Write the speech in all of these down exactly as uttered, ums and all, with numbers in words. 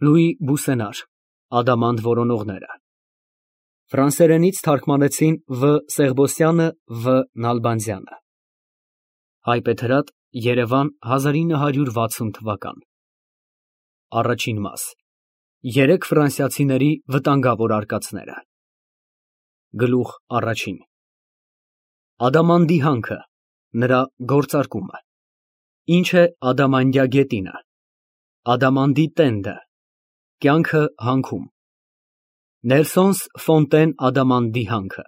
Լուի Բուսենար Ադամանդ որոնողները Ֆրանսերենից թարգմանեցին Վ. Սեղբոսյանը, Վ. Նալբանդյանը Հայբեթրատ, Երևան հազար ինը հարյուր վաթսուն թվական Առաջին մաս Երեք ֆրանսիացիների վտանգավոր արկածները Գլուխ առաջին Ադամանդի հանքը, նրա գործարկումը Ինչ է Ադամանդյա գետինը Ադամանդի տենդը Կյանքը հանքում Նելսոնս Ֆոնտեն Ադամանդի հանքը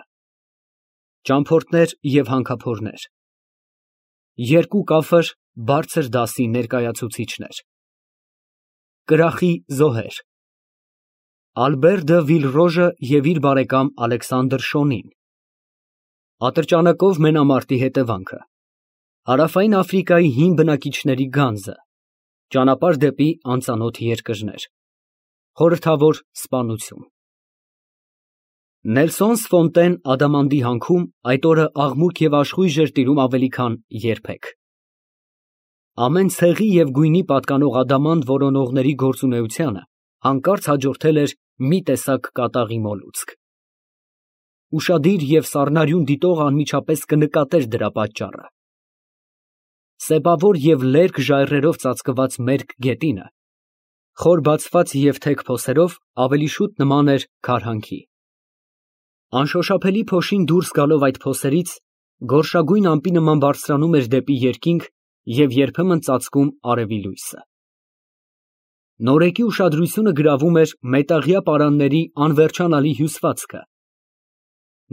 Ճամփորդներ և հանքափորներ Երկու կաֆր բարձր դասի ներկայացուցիչներ Կրախի զոհեր Ալբեր դը Վիլռոժը և իր բարեկամ Ալեքսանդր Շոնին Ատրճանակով մենամարտի հետևանքը Հարավային Աֆրիկայի հին բնակիչների գանձը Ճանապարհ դեպի անծանոթ երկրներ Խորհրդավոր սպանություն Նելսոնս Ֆոնտեն Ադամանդի հանքում այդ օրը աղմուկ և աշխույժ էր տիրում ավելի քան երբեք։ Ամեն ցեղի և գույնի պատկանող ադամանդ որոնողների գործունեությանը հանկարծ հաջորդել էր մի տեսակ կատաղի մոլուցք։ Ուշադիր և սառնարյուն դիտողը անմիջապես կնկատեր դրա պատճառը։ Սեպավոր և լերկ ժայռերով ծածկված մերկ գետինը, խոր բացված և թեք փոսերով, ավելի շուտ նման էր քարհանքի։ Անշոշափելի փոշին դուրս գալով այդ փոսերից, գորշագույն ամպի նման բարձրանում էր դեպի երկինք և երբեմն ծածկում արևի լույսը։ Նորեկի ուշադրությունը գրավում էր մետաղյա պարանների անվերջանալի հյուսվածքը։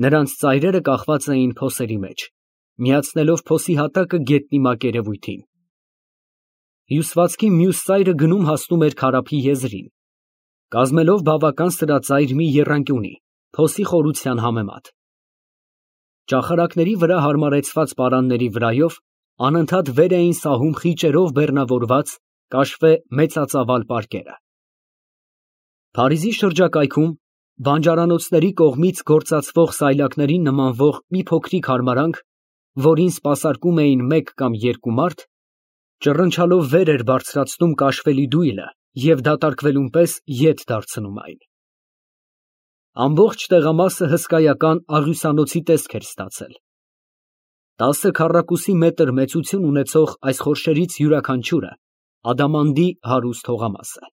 Նրանց ծայրերը կախված էին փոսերի մեջ, միացնելով փոսի հատակը գետնի մակերևույթին։ Հյուսվածքի մյուս ծայրը գնում հասնում էր քարափի եզրին, կազմելով բավական սրածայր մի եռանկյունի, փոսի խորության համեմատ։ Ճախարակների վրա հարմարեցված պարանների վրայով անընդհատ վեր էին սահում խիճերով բեռնավորված կաշվե մեծածավալ պարկերը։ Փարիզի շրջակայքում բանջարանոցների կողմից գործածվող սայլակներին նմանվող մի փոքրիկ հարմարանք, որին սպասարկում էին մեկ կամ երկու մարդ, ճռնչալով վեր էր բարձրացնում կաշվելի դույլը և դատարկվելուն պես ետ դարձնում այն։ Ամբողջ տեղամասը հսկայական աղյուսանոցի տեսք էր ստացել։ Տասը քառակուսի մետր մեծություն ունեցող այս խորշերից յուրաքանչյուրը ադամանդի հարուստ հողամաս է։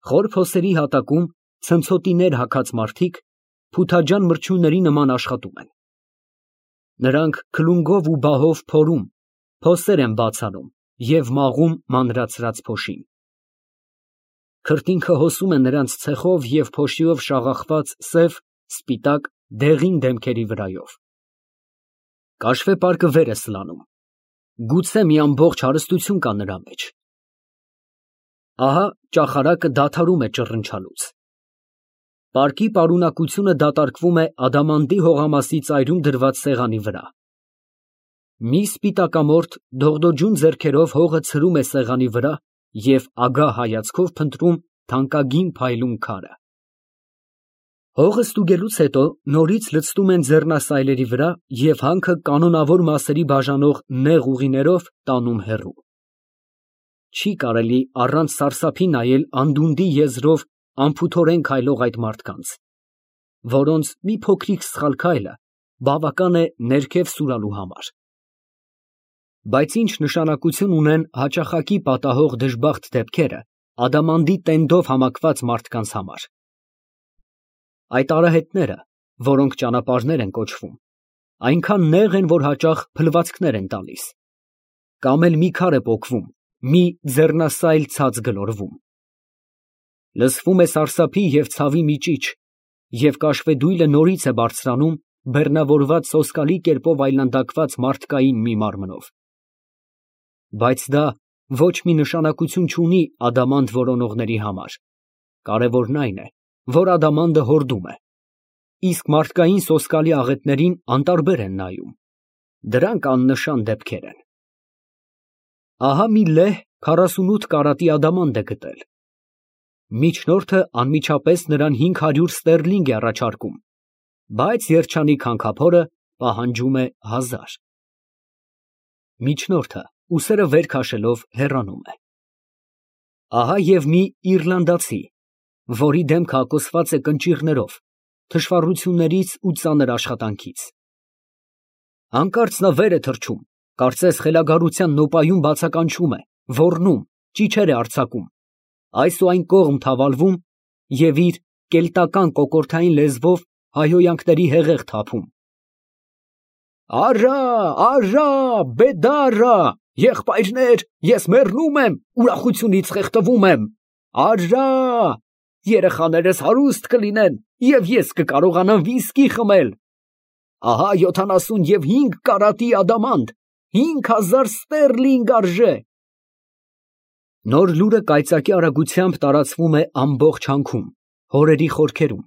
Խոր փոսերի հատակում ցնցոտիներ հագած մարդիկ փութաջան մրջյունների նման աշխատում են։ Նրանք քլունգով ու բահով փորում, փոսեր են բաց անում և մաղում մանրացրած փոշին։ Քրտինքը հոսում է նրանց ցեխով և փոշիով շաղախված սև, սպիտակ, դեղին դեմքերի վրայով։ Կաշվե պարկը վեր է սլանում, գուցե մի ամբողջ հարստություն կա նրա մեջ։ Ահա ճախարակը դադարում է ճռնչալուց։ Պարկի պարունակությունը դատարկվում է ադամանդի հողամասի ծայրում դրված սեղանի վրա։ Մի սպիտակամորթ դողդոջուն ձեռքերով հողը ցրում է սեղանի վրա և ագահ հայացքով փնտրում թանկագին փայլուն քարը։ Հողը ստուգելուց հետո նորից լցնում են ձեռնասայլերի վրա և հանքը կանոնավոր մասերի բաժանող նեղ ուղիներով տանում հեռու։ Չի կարելի առանց սարսափի նայել անդունդի եզրով անփութորեն քայլող այդ մարդկանց, որոնց մի փոքրիկ սխալ քայլը բավական է ներքև սուրալու համար։ Բայց ինչ նշանակություն ունեն հաճախակի պատահող դժբախտ դեպքերը ադամանդի տենդով համակված մարդկանց համար։ Այդ արահետները, որոնք ճանապարհներ են կոչվում, այնքան նեղ են, որ հաճախ փլվածքներ են տալիս, կամ էլ մի քար է պոկվում, մի ձեռնասայլ ցած գլորվում։ Լսվում է սարսափի և ցավի մի ճիչ, և կաշվե դույլը նորից է բարձրանում բեռնավորված սոսկալի կերպով այլանդակված մարդկային մի մարմնով։ Բայց դա ոչ մի նշանակություն չունի ադամանդ որոնողների համար, կարևորն այն է, որ ադամանդը հորդում է, իսկ մարդկային սոսկալի աղետներին անտարբեր են նայում, դրանք աննշան դեպքեր են։ Ահա մի լեհ քառասունութ կարատի ադամանդ է գտել։ Միջնորդը անմիջապես նրան հինգ հարյուր ստերլինգ է առաջարկում, բայց երջանիկ հանքափորը պահանջում է հազար։ Միջնորդը ուսերը վեր քաշելով հեռանում է։ Ահա և մի իռլանդացի, որի դեմքը հագոսված է կնճիռներով, թշվառություններից ու ծանր աշխատանքից. հանկարծ նա վեր է թռչում, կարծես խելագարության նոպայուն բացականչում է, ոռնում, ճիչեր է արձակում, այս ու այն կողմ թավալվում և իր կելտական կոկորդային լեզվով հայհոյանքների հեղեղ թափում. Առա, առա, բեդառա, եղբայրներ, ես մեռնում եմ, ուրախությունից խեղդվում եմ, առա, երեխաներս հարուստ կլինեն և ես կկարողանամ վիսկի խմել, ահա յոթանասուն և հինգ կարատի ադամանդ, հինգ հազար ստերլինգ արժե։ Նոր լուրը կայծակի արագությամբ տարածվում է ամբողջ հանքում, հորերի խորքերում,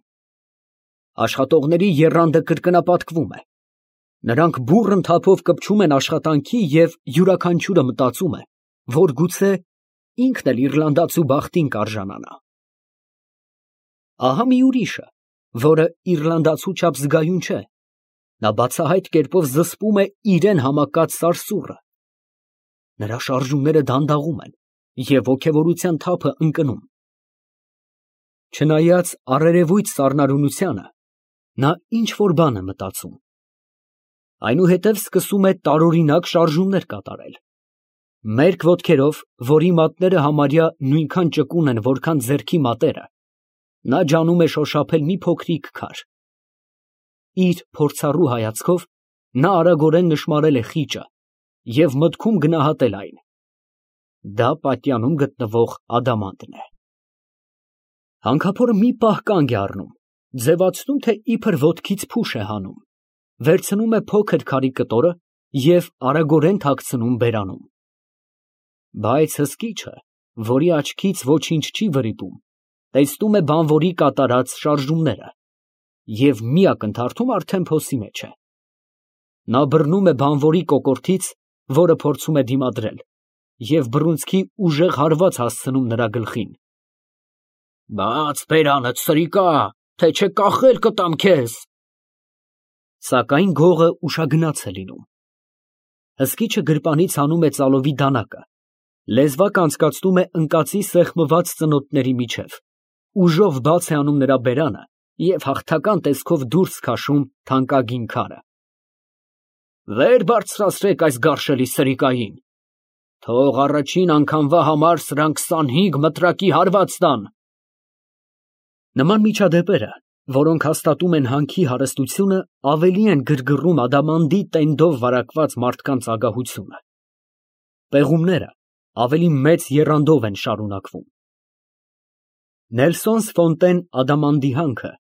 աշխատողների եռանդը կրկնապատկվում է, նրանք բուռն թափով կպչում են աշխատանքի և յուրաքանչյուրը մտածում է, որ գուցե ինքն էլ իռլանդացու բախտին կարժանանա։ Ահա մի ուրիշը, որը իռլանդացու չափ զգայուն չէ, նա բացահայտ կերպով զսպում է իրան համակած սարսուռը, նրա շարժումները դանդաղում են և ոգևորության թափը ընկնում։ Չնայած առերևույթ սառնարյունությանը, նա ինչ֊որ բան է մտածում, այնուհետև սկսում է տարօրինակ շարժումներ կատարել, մերկ ոտքերով, որի մատները համարյա նույնքան ճկուն են, որքան ձեռքի մատերը, նա ջանում է շոշափել մի փոքրիկ քար։ Իր փորձառու հայացքով նա արագորեն նշմարել է խիճը և մտքում գնահատել այն. դա պատյանում գտնվող ադամանդն է։ Հանքափորը մի պահ կանգ է առնում, ձևացնում, թե իբր ոտքից փուշ է հանում, վերցնում է փոքր քարի կտորը և արագորեն թաքցնում բերանում։ Բայց հսկիչը, որի աչքից ոչինչ չի վրիպում, տեսնում է բանվորի կատարած շարժումները և մի ակնթարթում արդեն փոսի մեջ է։ Նա բռնում է բանվորի կոկորդից, որը փորձում է դիմադրել, և բռունցքի ուժեղ հարված հասցնում նրա գլխին։ Բաց բերանդ, սրիկա, թե չէ կախել կտամ քեզ։ Սակայն գողը ուշագնաց է լինում։ Հսկիչը գրպանից հանում է ծալովի դանակը, լեզվակ անցկացնում է ընկածի սեղմված ծնոտների միջև, ուժով բաց է անում նրա բերանը և հաղթական տեսքով դուրս քաշում թանկագին քարը։ Վեր բարձրացրեք այս գարշելի սրիկային, թող առաջին անգամվա համար սրան քսանհինգ մտրակի հարված տան։ Նման միջադեպերը, որոնք հաստատում են հանքի հարստությունը, ավելի են գրգռում ադամանդի տենդով վարակված մարդկանց ագահությունը։ Պեղումները ավելի մեծ եռանդով են շարունակվում։ Նելսոնս Ֆոնտեն ադամանդի հանքը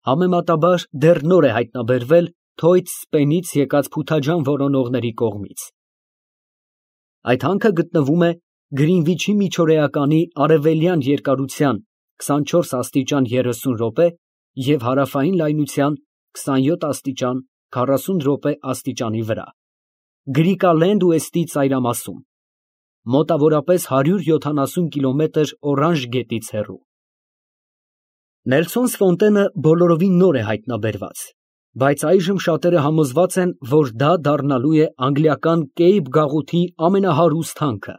համեմատաբար դեռ նոր է հայտնաբերվել Թոյթ Սպենից եկած փութաջան որոնողների կողմից։ Այդ հանքը գտնվում է Գրինվիչի միջօրեականի արևելյան երկարության քսանչորս աստիճան երեսուն րոպե և հարավային լայնության քսանյոթ աստիճան քառասուն րոպե աստիճանի վրա, Գրիկալենդ ուեստի ծայրամասում, մոտավորապես հարյուր յոթանասուն կիլոմետր Օրանժ գետից հեռու։ Նելսոնս Ֆոնտենը բոլորովին նոր է հայտնաբերված, բայց այժմ շատերը համոզված են, որ դա դառնալու է անգլիական Կեյպ գաղութի ամենահարուստ հանքը։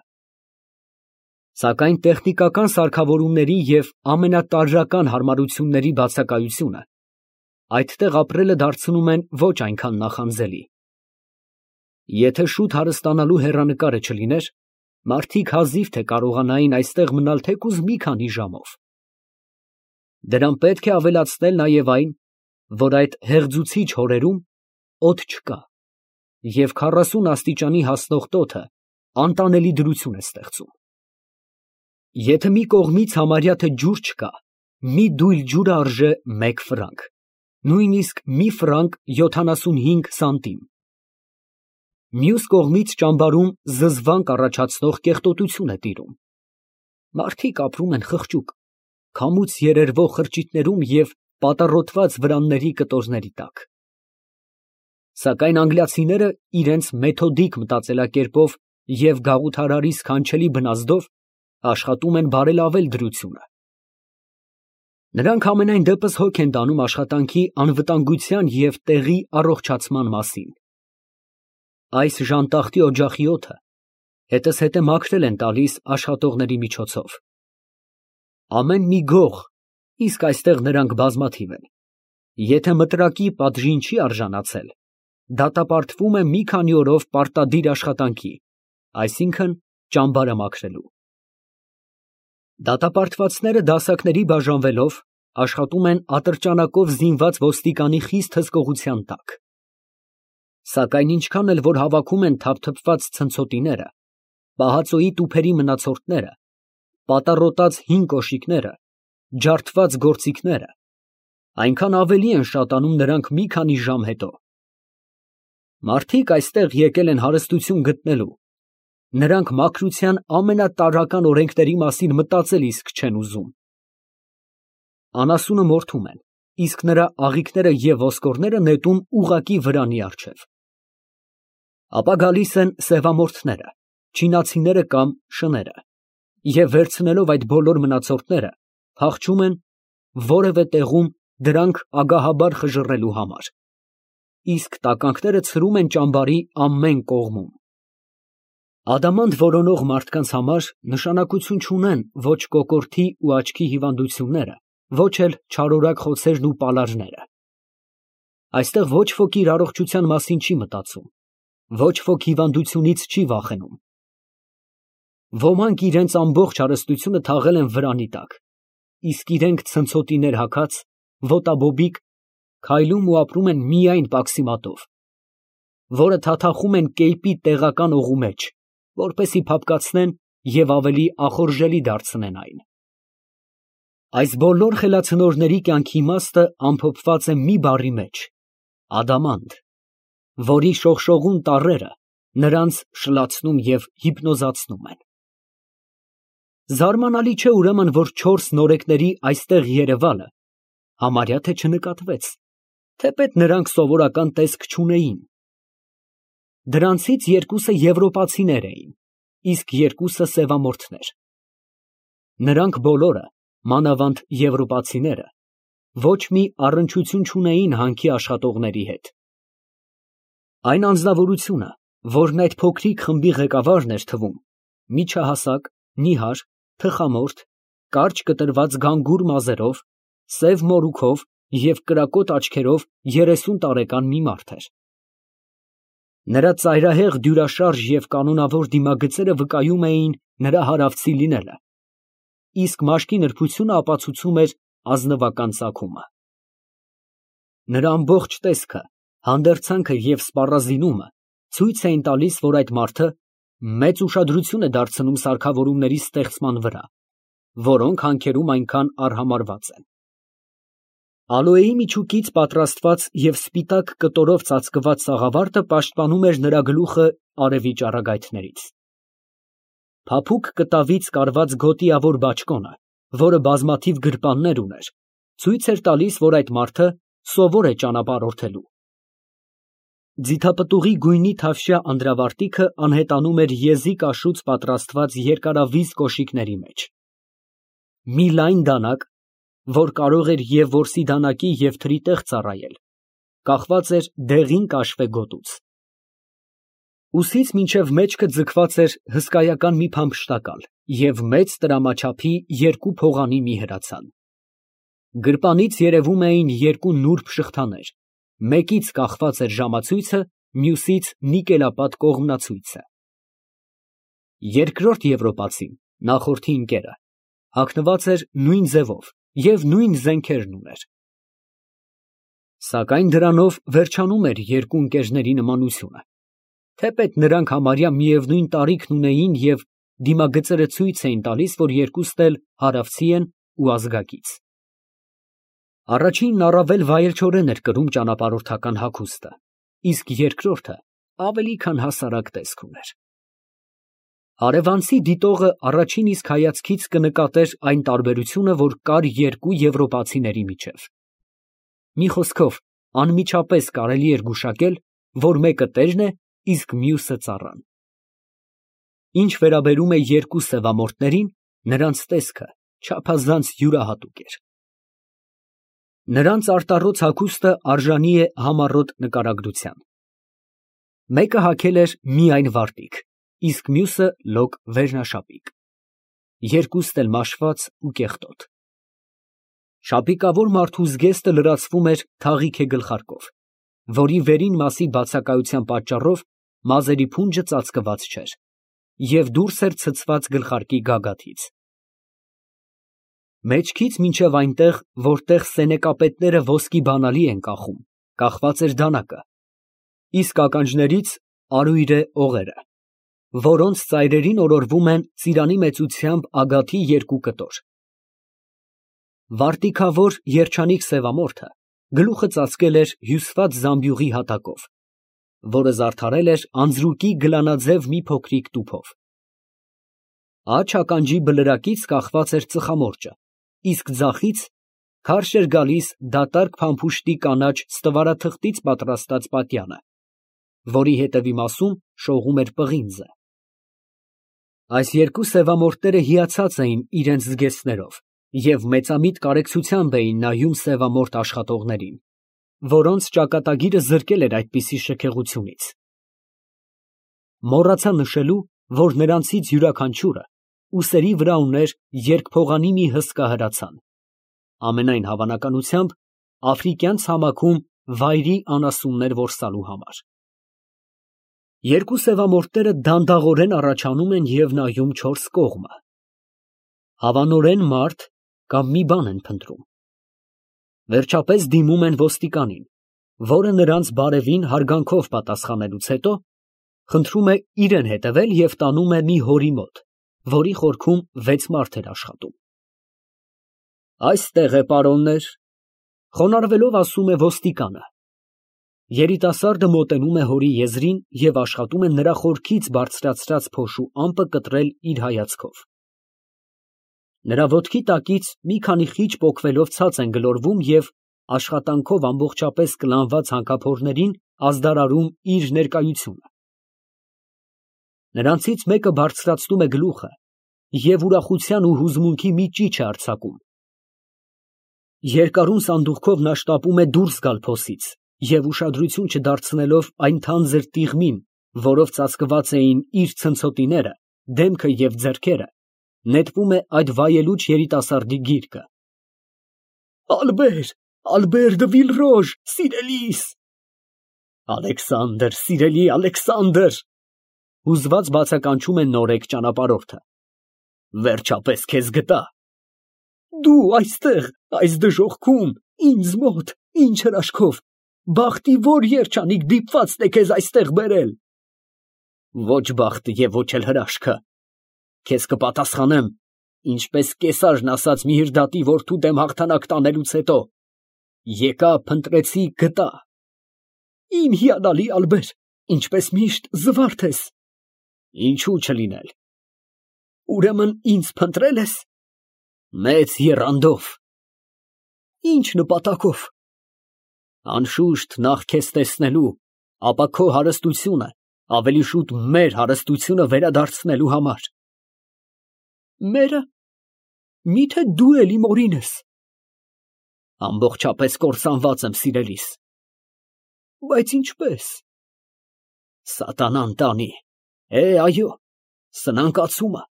Սակայն տեխնիկական սարքավորումների և ամենատարրական հարմարությունների բացակայությունը այդտեղ ապրելը դարձնում են ոչ այնքան նախանձելի։ Եթե շուտ հարստանալու հեռանկարը չլիներ, մարդիկ հազիվ թե կարողանային այստեղ մնալ թեկուզ մի քանի ժամով։ Դրան պետք է ավելացնել նաև այն, որ այդ հեղձուցիչ հորերում օդ չկա, և քառասուն աստիճանի հասնող տոթը անտանելի դրություն է ստեղծում։ Եթե մի կողմից համարյա թե ջուր չկա, մի դույլ ջուրը արժե մեկ ֆրանկ, նույնիսկ մի ֆրանկ յոթանասունհինգ սանտիմ։ Մյուս կողմից ճամբարում զզվանք առաջացնող կեղտոտություն է տիրում։ Մարդիկ ապրում են խղճուկ, քամուց երերվող խրճիթներում և պատառոտված վրանների կտորների տակ։ Սակայն անգլիացիները իրենց մեթոդիկ մտածելակերպով և գաղութարարի սքանչելի բնազդով աշխատում են բարելավել դրությունը։ Նրանք համենայն դեպս հոգ են տանում աշխատանքի անվտանգության և տեղի առողջացման մասին։ Այս ժանտախտի օջախի օդը հետզհետե մաքրել են տալիս աշխատողների միջոցով, Ամեն մի գող, իսկ այստեղ նրանք բազմաթիվ են, եթե մտրակի պատժին չի արժանացել, դատապարտվում է մի քանի օրով պարտադիր աշխատանքի, այսինքն ճամբարը մաքրելու։ Դատապարտվածները դասակների բաժանվելով աշխատում են ատրճանակով զինված ոստիկանի խիստ հսկողության տակ։ Սակայն ինչքան էլ որ հավաքում են թափթփված ցնցոտիները, պահածոյի տուփերի մնացորդները, պատառոտած հին կոշիկները, ջարդված գործիքները, այնքան ավելի են շատանում նրանք մի քանի ժամ հետո։ Մարդիկ այստեղ եկել են հարստություն գտնելու, նրանք մաքրության ամենատարրական օրենքների մասին մտածել իսկ չեն ուզում։ Անասունը մորթում են, իսկ նրա աղիքները և ոսկորները նետում ուղղակի վրանի առջև։ Ապա գալիս են սևամորթները, չինացիները կամ շները, և վերցնելով այդ բոլոր մնացորդները, փախչում են որևէ տեղում դրանք ագահաբար խժռելու համար, իսկ տականքները ցրում են ճամբարի ամեն կողմում։ Ադամանդ որոնող մարդկանց համար նշանակություն չունեն ոչ կոկորդի ու աչքի հիվանդությունները, ոչ էլ չարորակ խոցերն ու պալարները։ Այստեղ ոչ ոք իր առողջության մասին չի մտածում, ոչ ոք հիվանդությունից չի վախենում։ Ոմանք իրենց ամբողջ հարստությունը թաղել են վրանի տակ, իսկ իրենք ցնցոտիներ հագած, ոտաբոբիկ, քայլում ու ապրում են միայն պաքսիմատով, որը թաթախում են կեյպի տեղական օղու մեջ, որպեսզի փափկացնեն և ավելի ախորժելի դարձնեն այն։ Այս բոլոր խելացնորների կյանքի իմաստը ամփոփված է մի բառի մեջ՝ ադամանդ, որի շողշողուն տառերը նրանց շլացնում և հիպնոզացնում են։ Զարմանալի չէ ուրեմն, որ չորս նորեկների այստեղ երևալը համարյա թե չնկատվեց, թեպետ նրանք սովորական տեսք չունեին։ Դրանցից երկուսը եվրոպացիներ էին, իսկ երկուսը սևամորթներ։ Նրանք բոլորը, մանավանդ եվրոպացիները, ոչ մի առնչություն չունեին հանքի աշխատողների հետ։ Այն անձնավորությունը, որն այդ փոքրիկ խմբի ղեկավարն էր թվում, միջահասակ, նիհար, թխամորթ, կարճ կտրված գանգուր մազերով, սև մորուքով և կրակոտ աչքերով երեսուն տարեկան մի մարդ էր։ Նրա ծայրահեղ դյուրաշարժ և կանոնավոր դիմագծերը վկայում էին նրա հարավցի լինելը, իսկ մաշկի նրբությունը ապացուցում էր ազնվական ծագումը։ Նրա ամբողջ տեսքը, հանդերձանքը և սպառազինումը ցույց էին տալիս, որ այդ մարդը մեծ ուշադրություն է դարձնում սարքավորումների ստեղծման վրա, որոնք հանքերում այնքան արհամարհված են։ Ալոեի միջուկից պատրաստված և սպիտակ կտորով ծածկված սաղավարտը պաշտպանում էր նրա գլուխը արևի ճառագայթներից։ Փափուկ կտավից կարված գոտիավոր բաճկոնը, որը բազմաթիվ գրպաններ ուներ, ցույց էր տալիս, որ այդ մարդը սովոր է ճանապարհորդելու։ Ձիթապտուղի գույնի թավշյա անդրավարտիքը անհետանում էր եզի կաշուց պատրաստված երկարավիզ կոշիկների մեջ։ Մի լայն դանակ, որ կարող էր և որսի դանակի և թրի տեղ ծառայել, կախված էր դեղին կաշվե գոտուց։ Ուսից մինչև մեջքը ձգված էր հսկայական մի փամփշտակալ և մեծ տրամաչափի երկու փողանի մի հրացան։ Գրպանից երևում էին երկու նուրբ շղթաներ, մեկից կախված էր ժամացույցը, մյուսից նիկելապատ կողմնացույցը։ Երկրորդ եվրոպացին, նախորդի ընկերը, հագնված էր նույն ձևով և նույն զենքերն ուներ։ Սակայն դրանով վերջանում էր երկու ընկերների նմանությունը, թեպետ նրանք համարյա միևնույն տարիքն ունեին և դիմագծերը ցույց էին տալիս, որ երկուսն էլ հարավցի են ու ազգակից։ Առաջինն առավել վայելչորեն էր կրում ճանապարհորդական հագուստը, իսկ երկրորդը ավելի քան հասարակ տեսք ուներ։ Հարևանցի դիտողը առաջին իսկ հայացքից կնկատեր այն տարբերությունը, որ կար երկու եվրոպացիների միջև։ Մի խոսքով, անմիջապես կարելի էր գուշակել, որ մեկը տերն է, իսկ մյուսը ծառան։ Ինչ վերաբերում է երկու սևամորթներին, նրանց տեսքը չափազանց յուրահատուկ էր։ Նրանց արտառոց հագուստը արժանի է համառոտ նկարագրության։ Մեկը հագել էր միայն վարտիք, իսկ մյուսը լոկ վերնաշապիկ։ երկուստ էլ մաշված ու կեղտոտ։ Շապիկավոր մարդու զգեստը լրացվում էր թաղիք է գլխարկով, որի վերին մասի բացակայության պատճառով մազերի փունջը ծածկված չէր և դուրս էր ցցված գլխարկի գագաթից։ Մեջքից մինչև այնտեղ, որտեղ սենեկապետները ոսկի բանալի են կախում, կախված էր դանակը, իսկ ականջներից արույրե օղերը, որոնց ծայրերին օրորվում են ծիրանի մեծությամբ ագաթի երկու կտոր։ Վարտիքավոր երջանիկ սևամորթը գլուխը ծածկել էր հյուսված զամբյուղի հատակով, որը զարդարել էր անձրուկի գլանաձև մի փոքրիկ տուփով։ Աջ ականջի բլրակից կախված էր ծխամորճը, իսկ ձախից քարշ էր գալիս դատարկ փամփուշտի կանաչ ստվարաթղթից պատրաստած պատյանը, որի հետևի մասում շողում էր պղինձը։ Այս երկու սևամորթները հիացած էին իրենց զգեստներով և մեծամիտ կարեկցությամբ էին նայում սևամորթ աշխատողներին, որոնց ճակատագիրը զրկել էր այդպիսի շքեղությունից։ Մոռացա նշելու, որ նրանցից յուրաքանչյուրը ուսերի վրա ուներ երկփողանի մի հսկա հրացան, ամենայն հավանականությամբ աֆրիկյան ցամաքում վայրի անասուններ որսալու համար։ Երկու սևամորթները դանդաղորեն առաջանում են և նայում չորս կողմը։ Հավանորեն մարդ կամ մի բան են փնտրում։ Վերջապես դիմում են ոստիկանին, որը նրանց բարևին հարգանքով պատասխանելուց հետո խնդրում է իրեն հետևել և տանում է մի հորի մոտ, որի խորքում վեց մարդ էր աշխատում։ Այստեղ է, պարոններ, խոնարհվելով ասում է ոստիկանը։ Երիտասարդը մոտենում է հորի եզրին և աշխատում է նրա խորքից բարձրացրած փոշու ամպը կտրել իր հայացքով։ Նրա ոտքի տակից մի քանի խիճ պոկվելով ցած են գլորվում և աշխատանքով ամբողջապես կլանված հանքափորներին ազդարարում իր ներկայությունը։ Նրանցից մեկը բարձրացնում է գլուխը և ուրախության ու հուզմունքի մի ճիչ է արձակում։ Երկարուն սանդուղքով նա շտապում է դուրս գալ փոսից և ուշադրություն չդարձնելով այն թանձր տիղմին, որով ծածկված էին իր ցնցոտիները, դեմքը և ձեռքերը, նետվում է այդ վայելուչ երիտասարդի գիրկը։ Ալբեր, Ալբեր դը Վիլրոժ, սիրելիս։ Ալեքսանդր, սիրելի Ալեքսանդր, հուզված բացականչում է նորեկ ճանապարհորդը։ Վերջապես քեզ գտա։ Դու այստեղ, այս դժոխքում, ինձ մոտ, ինչ հրաշքով, բախտի որ երջանիկ դիպվածն է քեզ այստեղ բերել։ Ոչ բախտը և ոչ էլ հրաշքը։ Քեզ կպատասխանեմ, ինչպես Կեսարն ասաց Միհրդատի որդու դեմ հաղթանակ տանելուց հետո. եկա, փնտրեցի, գտա։ Իմ հիանալի Ալբեր, ինչպես միշտ զվարթ ես։ Ինչու չլինել։ Ուրեմն ինձ փնտրել ես։ Մեծ եռանդով։ Ինչ նպատակով։ Անշուշտ նախ քեզ տեսնելու, ապա քո հարստությունը, ավելի շուտ մեր հարստությունը վերադարձնելու համար։ Մերը։ Միթե դու էլ իմ օրին ես։ Ամբողջապես կործանված եմ, սիրելիս։ Բայց ինչպես։ Սատանան տանի։ Է, այո, սնանկացումը,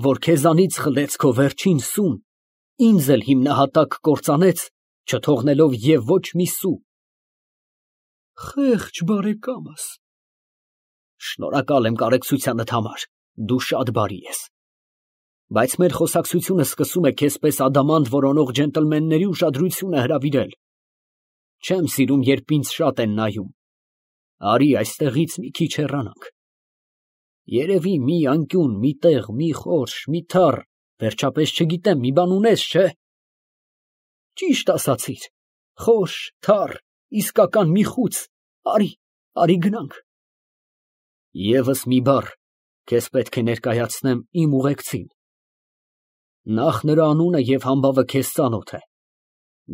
որ քեզանից խլեց քո վերջին սուն, ինձ էլ հիմնահատակ կործանեց, չթողնելով և ոչ մի սու։ Խեղճ բարեկամս։ Շնորհակալ եմ կարեկցությանդ համար, դու շատ բարի ես։ Բայց մեր խոսակցությունը սկսում է քեզպես ադամանդ որոնող ջենտլմենների ուշադրությունը հրավիրել։ Չեմ սիրում, երբ ինձ շատ են նայում։ Արի այստեղից մի քիչ հեռանանք։ Երևի մի անկյուն, մի տեղ, մի խորշ, մի թառ, վերջապես չգիտեմ, մի բան ունես, չէ։ Ճիշտ ասացիր, խորշ, թառ, իսկական մի խուց, արի, արի գնանք։ Եվս մի բառ քեզ պետք է ներկայացնեմ իմ ուղեկցին։ Նախ նրա անունը և համբավը քեզ ծանոթ է։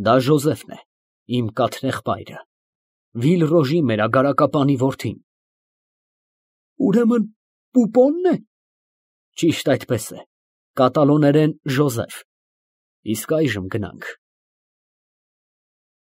Դա Ժոզեֆն է, իմ կաթնեղբայրը, Վիլրոժի մերագարակապանի որդին։ Ուրեմն Պուպոնն է։ Ճիշտ այդպես է, կատալոներեն Ժոզեֆ։ Իսկ այժմ գնանք։